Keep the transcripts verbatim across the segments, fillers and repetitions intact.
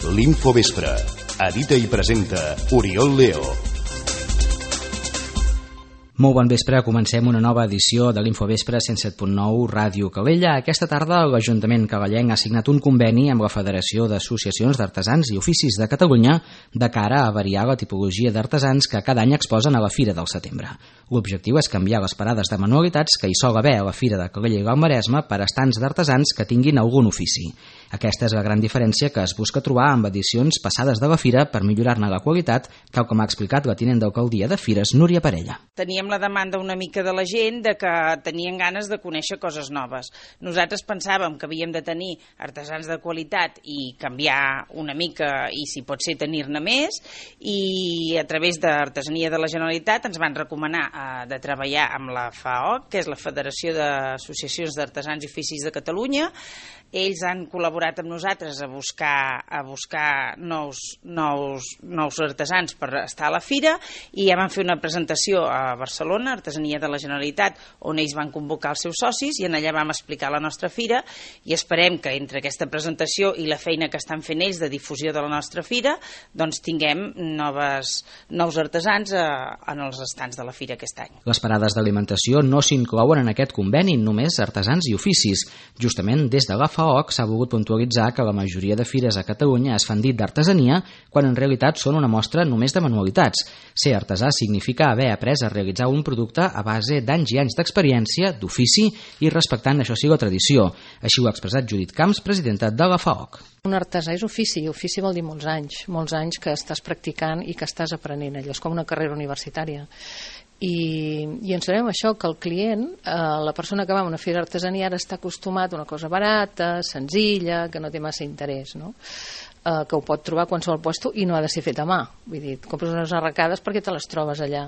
L'Infovespre. Edita i presenta Oriol Leo. Molt bon vespre, comencem una nova edició de l'Infovespre cent set punt nou Ràdio Calella. Aquesta tarda l'Ajuntament calellenc ha signat un conveni amb la Federació d'Associacions d'Artesans i Oficis de Catalunya de cara a variar la tipologia d'artesans que cada any exposen a la Fira del Setembre. L'objectiu és canviar les parades de manualitats que hi sol haver a la Fira de Calella i el Maresme per estants d'artesans que tinguin algun ofici. Aquesta és la gran diferència que es busca trobar amb edicions passades de la Fira per millorar-ne la qualitat, tal com ha explicat la tinent d'alcaldia de Fires, Núria Parella. Teníem la demanda una mica de la gent de que tenien ganes de conèixer coses noves. Nosaltres pensàvem que havíem de tenir artesans de qualitat i canviar una mica i si pot ser tenir-ne més, i a través d'Artesania de la Generalitat ens van recomanar eh, de treballar amb la F A O C, que és la Federació d'Associacions d'Artesans i Oficis de Catalunya. Ells han col·laborat amb nosaltres a buscar, a buscar nous, nous, nous artesans per estar a la Fira, i ja van fer una presentació a Barcelona, Artesania de la Generalitat, on ells van convocar els seus socis, i en allà vam explicar la nostra Fira, i esperem que entre aquesta presentació i la feina que estan fent ells de difusió de la nostra Fira, doncs tinguem noves, nous artesans a, en els estants de la Fira aquest any. Les parades d'alimentació no s'inclouen en aquest conveni, només artesans i oficis. Justament des de la F A O C s'ha volgut puntualitzar que la majoria de fires a Catalunya es fan dit d'artesania, quan en realitat són una mostra només de manualitats. Ser artesà significa haver après a realitzar un producte a base d'anys i anys d'experiència, d'ofici i respectant, això sí, la tradició. Així ho ha expressat Judit Camps, presidenta de la F A O C. Un artesà és ofici, i ofici vol dir molts anys, molts anys que estàs practicant i que estàs aprenent. Allò és com una carrera universitària. I, i ens sabem això, que el client, eh, la persona que va a una fira d'artesania ara està acostumat a una cosa barata, senzilla, que no té massa interès, no? Eh, que ho pot trobar a qualsevol puesto i no ha de ser fet a mà. Vull dir, compres unes arracades perquè te les trobes allà.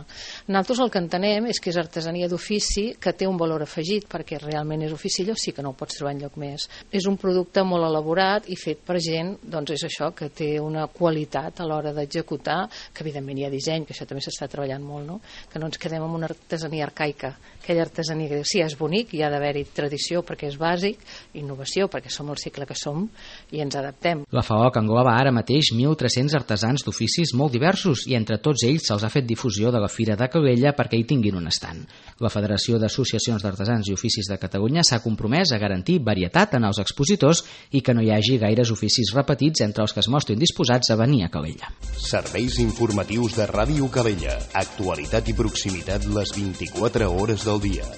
Nosaltres el que entenem és que és artesania d'ofici que té un valor afegit, perquè realment és ofici, allò sí que no ho pots trobar enlloc més. És un producte molt elaborat i fet per gent, doncs és això, que té una qualitat a l'hora d'executar, que evidentment hi ha disseny, que això també s'està treballant molt, no? Que no ens quedem amb una artesania arcaica, aquella artesania que diu, sí, és bonic, hi ha d'haver-hi tradició perquè és bàsic, innovació perquè som el cicle que som i ens adaptem. La F A O C engloba ara mateix mil tres-cents artesans d'oficis molt diversos i entre tots ells se'ls ha fet difusió de la Fira de Calella perquè hi tinguin un estand. La Federació d'Associacions d'Artesans i Oficis de Catalunya s'ha compromès a garantir varietat en els expositors i que no hi hagi gaires oficis repetits entre els que es mostrin disposats a venir a Calella. Serveis informatius de Ràdio Calella. Actualitat i proximitat les vint-i-quatre hores del dia.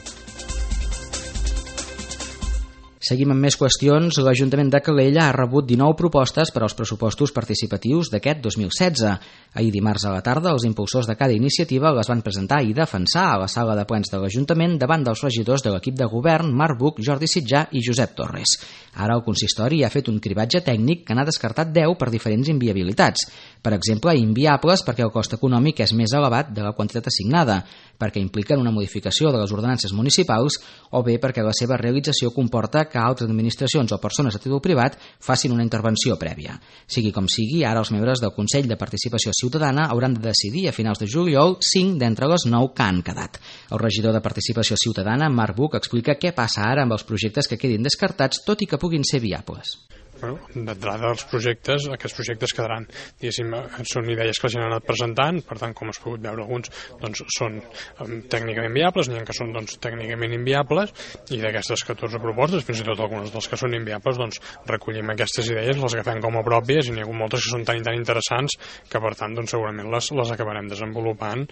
Seguim amb més qüestions. L'Ajuntament de Calella ha rebut dinou propostes per als pressupostos participatius d'aquest dos mil setze. Ahir dimarts a la tarda, els impulsors de cada iniciativa les van presentar i defensar a la sala de plens de l'Ajuntament davant dels regidors de l'equip de govern Marc Buch, Jordi Sitjà i Josep Torres. Ara el consistori ha fet un cribatge tècnic que n'ha descartat deu per diferents inviabilitats. Per exemple, inviables perquè el cost econòmic és més elevat de la quantitat assignada, perquè impliquen una modificació de les ordenances municipals o bé perquè la seva realització comporta que altres administracions o persones a títol privat facin una intervenció prèvia. Sigui com sigui, ara els membres del Consell de Participació Ciutadana hauran de decidir a finals de juliol cinc d'entre les nou que han quedat. El regidor de Participació Ciutadana, Marc Buch, explica què passa ara amb els projectes que quedin descartats, tot i que puguin ser viables. Bueno, d'entrada els projectes, aquests projectes quedaran, diguéssim, són idees que la gent ha anat presentant, per tant, com has pogut veure alguns, doncs són um, tècnicament viables, n'hi ha que són doncs, tècnicament inviables, i d'aquestes catorze propostes, fins i tot algunes dels que són inviables, doncs recollim aquestes idees, les agafem com a pròpies, i n'hi ha moltes que són tan i tan interessants que, per tant, doncs, segurament les, les acabarem desenvolupant,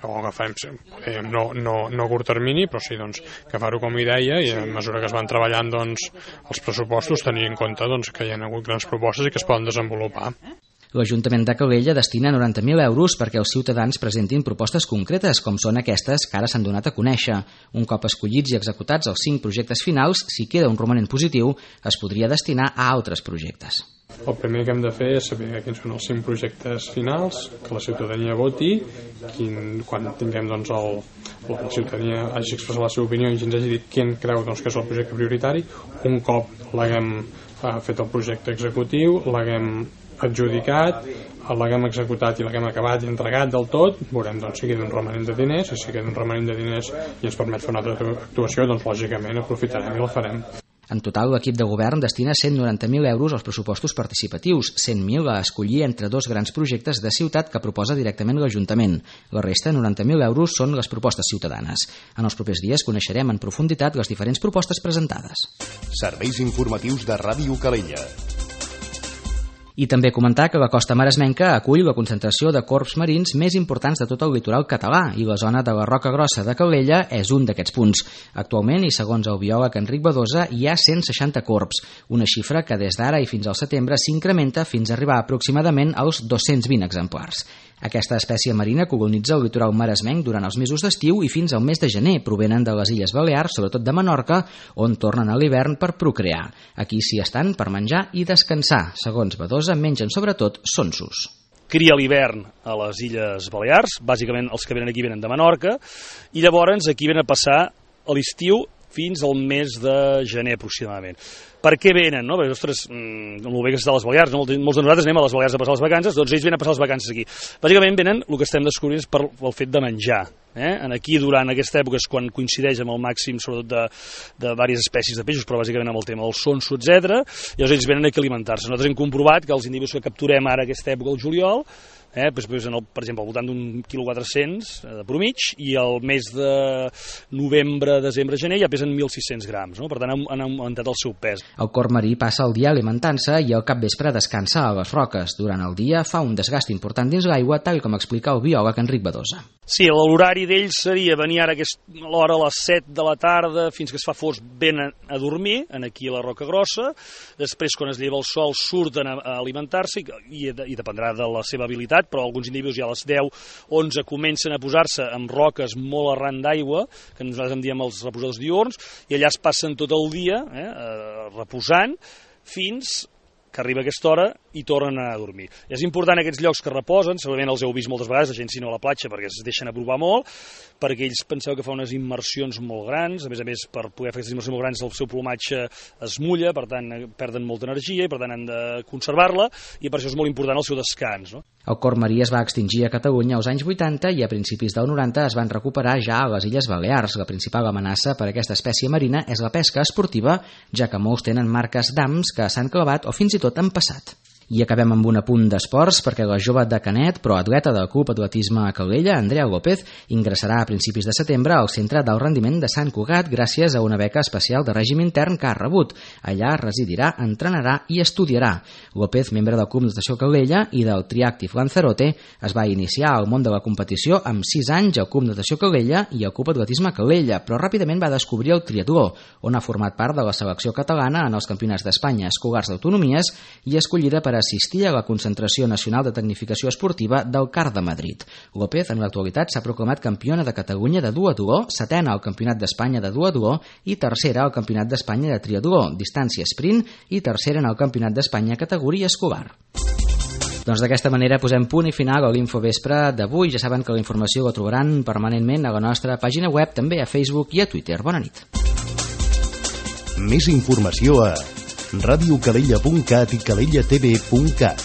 o agafarem, podem, no, no, no a curt termini, però sí, doncs, agafar-ho com a idea, i a mesura que es van treballant, doncs, els pressupostos, tenir en compte, doncs, que hi ha hagut grans propostes i que es poden desenvolupar. L'Ajuntament de Calella destina noranta mil euros perquè els ciutadans presentin propostes concretes, com són aquestes que ara s'han donat a conèixer. Un cop escollits i executats els cinc projectes finals, si queda un romanent positiu, es podria destinar a altres projectes. El primer que hem de fer és saber quins són els cinc projectes finals, que la ciutadania voti, quin, quan tinguem doncs, el, la ciutadania hagi expressat la seva opinió i ens hagi dit quin creu doncs, que és el projecte prioritari. Un cop l'haguem eh, fet el projecte executiu, l'haguem adjudicat, l'haguem executat i l'haguem acabat i entregat del tot, veurem doncs, si queda un romanent de diners, i si queda un romanent de diners i ens permet fer una altra actuació, doncs lògicament aprofitarem i la farem. En total, l'equip de govern destina cent noranta mil euros als pressupostos participatius, cent mil a escollir entre dos grans projectes de ciutat que proposa directament l'Ajuntament. La resta, noranta mil euros, són les propostes ciutadanes. En els propers dies coneixerem en profunditat les diferents propostes presentades. Serveis informatius de Ràdio Calella. I també comentar que la costa maresmenca acull la concentració de corbs marins més importants de tot el litoral català i la zona de la Roca Grossa de Calella és un d'aquests punts. Actualment, i segons el biòleg Enric Badosa, hi ha cent seixanta corbs, una xifra que des d'ara i fins al setembre s'incrementa fins a arribar aproximadament als dos-cents vint exemplars. Aquesta espècie marina colonitza el litoral maresmenc durant els mesos d'estiu i fins al mes de gener. Provenen de les Illes Balears, sobretot de Menorca, on tornen a l'hivern per procrear. Aquí s'hi estan per menjar i descansar. Segons Badosa, mengen sobretot sonsos. Cria l'hivern a les Illes Balears, bàsicament els que venen aquí venen de Menorca, i llavors aquí venen a passar l'estiu fins al mes de gener aproximadament. Per què venen? No? Perquè, ostres, el bé que està a les Balears, no? Molts de nosaltres anem a les Balears a passar les vacances, doncs ells venen a passar les vacances aquí. Bàsicament venen, el que estem descobrint és per el fet de menjar. Eh? Aquí, durant aquesta època, és quan coincideix amb el màxim, sobretot de, de diverses espècies de peixos, però bàsicament amb el tema del sonso, etcètera. Llavors ells venen aquí a alimentar-se. Nosaltres hem comprovat que els individus que capturem ara aquesta època, el juliol, Eh, doncs, en el, per exemple, al voltant d'un quilo quatre-cents de promig, i el mes de novembre, desembre, gener ja pesen mil sis-cents grams, no? Per tant han, han augmentat el seu pes. El corb marí passa el dia alimentant-se i al capvespre descansa a les roques. Durant el dia fa un desgast important dins l'aigua, tal com explica el biòleg Enric Badosa. Sí, l'horari d'ells seria venir ara a l'hora a les set de la tarda fins que es fa fosc, venen a dormir aquí a la Roca Grossa, després quan es lleva el sol surten a, a alimentar-se i, i dependrà de la seva habilitat, però alguns individus ja a les deu onze comencen a posar-se amb roques molt arran d'aigua, que nosaltres en diem els reposadors diürns, i allà es passen tot el dia eh, reposant fins que arriba aquesta hora i tornen a dormir. És important aquests llocs que reposen, segurament els heu vist moltes vegades, la gent si no a la platja, perquè es deixen aprovar molt, perquè ells penseu que fa unes immersions molt grans, a més a més, per poder fer aquestes immersions molt grans el seu plomatge es mulla, per tant perden molta energia i per tant han de conservar-la, i per això és molt important el seu descans. No? El corb marí es va extingir a Catalunya als anys vuitanta i a principis del noranta es van recuperar ja a les Illes Balears. La principal amenaça per a aquesta espècie marina és la pesca esportiva, ja que molts tenen marques d'hams que s'han clavat o fins i tot han passat. I acabem amb un apunt d'esports perquè la jove de Canet, però atleta del Club Atletisme a Calella, Andrea López, ingressarà a principis de setembre al Centre d'Alt Rendiment de Sant Cugat gràcies a una beca especial de règim intern que ha rebut. Allà residirà, entrenarà i estudiarà. López, membre del Club Natació Calella i del Triactive Lanzarote, es va iniciar al món de la competició amb sis anys al Club Natació Calella i al Club Atletisme Calella, però ràpidament va descobrir el triatló, on ha format part de la selecció catalana en els campionats d'Espanya escolars d'autonomies i escollida per assistir a la concentració nacional de tecnificació esportiva del C A R de Madrid. López, en l'actualitat, s'ha proclamat campiona de Catalunya de duatló, setena al Campionat d'Espanya de duatló i tercera al Campionat d'Espanya de triatló, distància sprint, i tercera en el Campionat d'Espanya categoria escolar. Doncs d'aquesta manera posem punt i final a l'Infovespre d'avui. Ja saben que la informació la trobaran permanentment a la nostra pàgina web, també a Facebook i a Twitter. Bona nit. Més informació a radiocalella punt cat i calella t v punt cat.